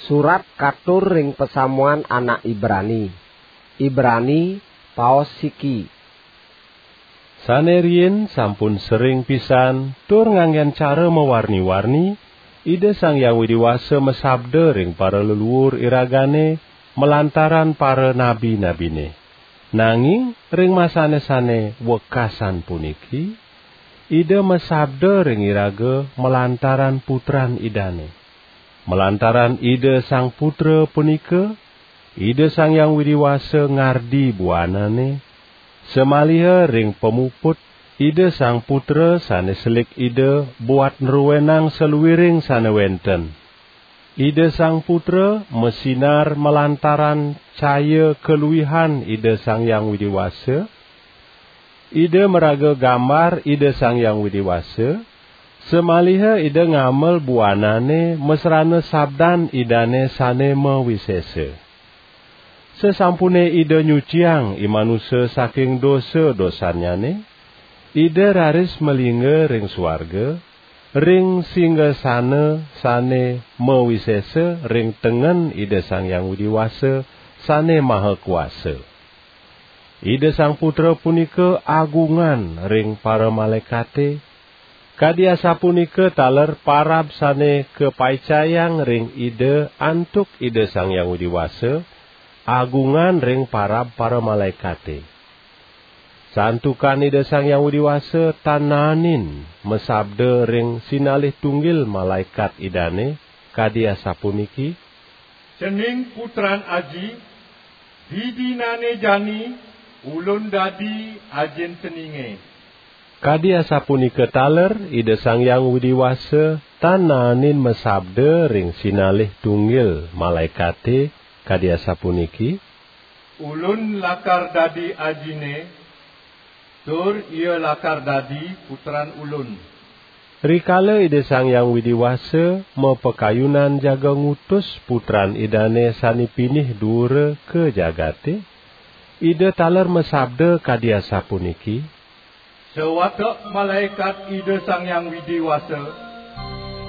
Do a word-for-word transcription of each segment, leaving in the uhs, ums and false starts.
Surat katur ring pasamuan anak Ibrani. Ibrani, paos siki. Sane riin sampun sering pisan tur nganggen cara mawarni-warni, Ida Sang Hyang Widi Wasa masabda ring paraleluur iragane malantaran paranabi-nabine. Nanging ring masane sane wekasan puniki, Ida masabda ring iraga malantaran Putran Idane. Malantaran Ida Sang Putra punika, Ida Sang Hyang Widi Wasa ngardi buanane, samaliha ring pamuput Ida Sang Putra sane selik Ida buat nruenang saluiring sane wenten. Ida Sang Putra masinar malantaran caya kaluihan Ida Sang Hyang Widi Wasa. Ida maraga gambar Ida Sang Hyang Widi Wasa, samaliha Ida ngamel buanane masrana sabdan Idane sane mawisesa. Sasampune Ida nyuciang i manusa saking dosa-dosannyane, Ida raris malingga ring suarga, ring singgasana sane mawisesa ring tengen Ida Sang Hyang Widi Wasa sane maha kuasa. Ida Sang Putra punika agungan ring paramalaekate, kadi asapunika taler parab sane kapaicayang ring Ida antuk Ida Sang Hyang Widi Wasa, agungan ring parab paramalaekate. Santukan Ida Sang Hyang Widi Wasa tan naenin masabda ring sinalih tunggil malaekat Idane, kadi asapuniki: "Cening Putran Aji, didinane jani Ulun dadi Ajin ceninge." Kadi asapunika taler Ida Sang Hyang Widi Wasa tan naenin masabda ring sinalih tunggil malaekate, kadi asapuniki: "Ulun lakar dadi Ajine, tur Ia lakar dadi Putran Ulun." Rikala Ida Sang Hyang Widi Wasa mapakayunan jaga ngutus Putran Idane sane pinih duura ka jagate, Ida taler masabda kadi asapuniki: "Sawatek malaekat Ida Sang Hyang Widi Wasa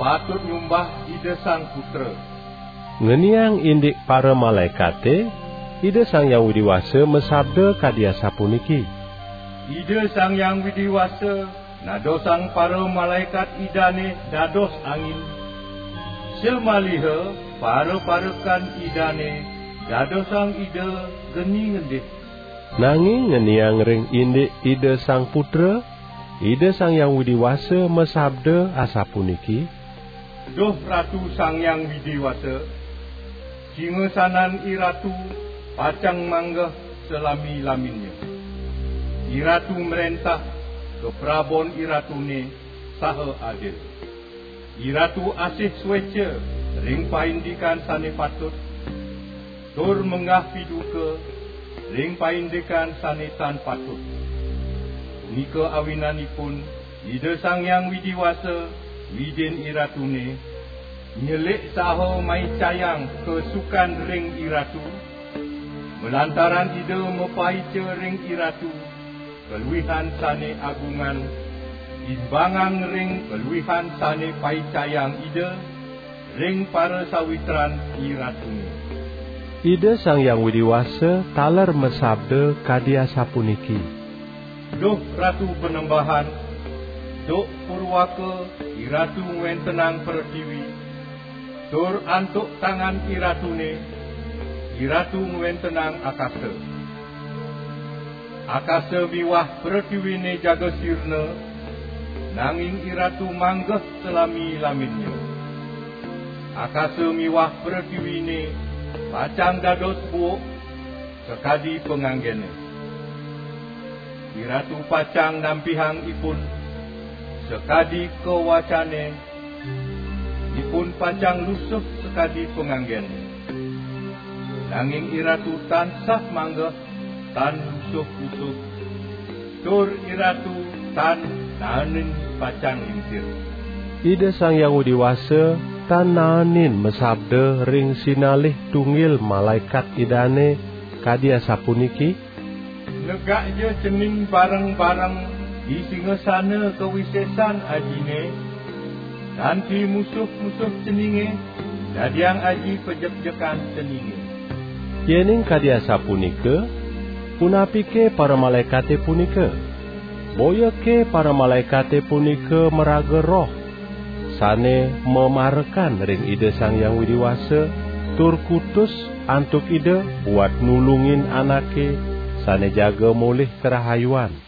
patut nyumbah Ida Sang Putra." Ngeniang indik paramalaekate, Ida Sang Hyang Widi Wasa masabda kadi asapuniki: "Ida Sang Hyang Widi Wasa nadosang paramalaekat Idane dados angin, samaliha paraparekan Idane dadosang Ida geni ngendih." Nanging ngeniang ring indik Ida Sang Putra, Ida Sang Hyang Widi Wasa masabda asapuniki: "Duh Ratu Sang Hyang Widi Wasa, singasanan IRatu pacang manggeh salami-laminnya. IRatu mrentah, kaprabon IRatune saha adil. IRatu asih sueca ring paindikan sane patut, tur menggah piduka ring paindikan sane tan patut. Punika awinanipun Ida Sang Hyang Widi Wasa, Widin IRatune, nyelik saha maicayang kasukan ring IRatu, malantaran Ida mapaica ring IRatu kaluihan sane agungan, imbangang ring kaluihan sane paicayang Ida ring parasawitran IRatune." Ida Sang Hyang Widi Wasa taler masabda kadi asapuniki: "Duh Ratu Panembahan, duk purwaka IRatu ngwentenang pretiwi, tur antuk tangan IRatune, IRatu ngwentenang akasa. Akasa miwah pretiwine jaga sirna, nanging IRatu manggeh salami-laminnya. Akasa miwah pretiwine pacang dados buuk sakadi panganggene. IRatu pacang nampihang ipun sakadi kawacane, ipun pacang lusuh sakadi panganggene. Nanging IRatu tansah manggeh, tan lusuh-lusuh, tur IRatu tan naenin pacang lingsir." Ida Sang Hyang Widi Wasa tan naenin masabda ring sinalih tunggil malaekat Idane kadi asapuniki: "Negakja cening bareng-bareng di singasana kawisesan Ajine, kanti musuh-musuh ceninge, Dadiang aji pajekjekan senine. Yening kadi asapunika, punapike paramalaekate punika? Boyake paramalaekate punika maraga roh sane mamarekan ring Ida Sang Hyang Widi Wasa, tur kutus antuk Ida buat nulungin anake sane jaga molih karahayuan.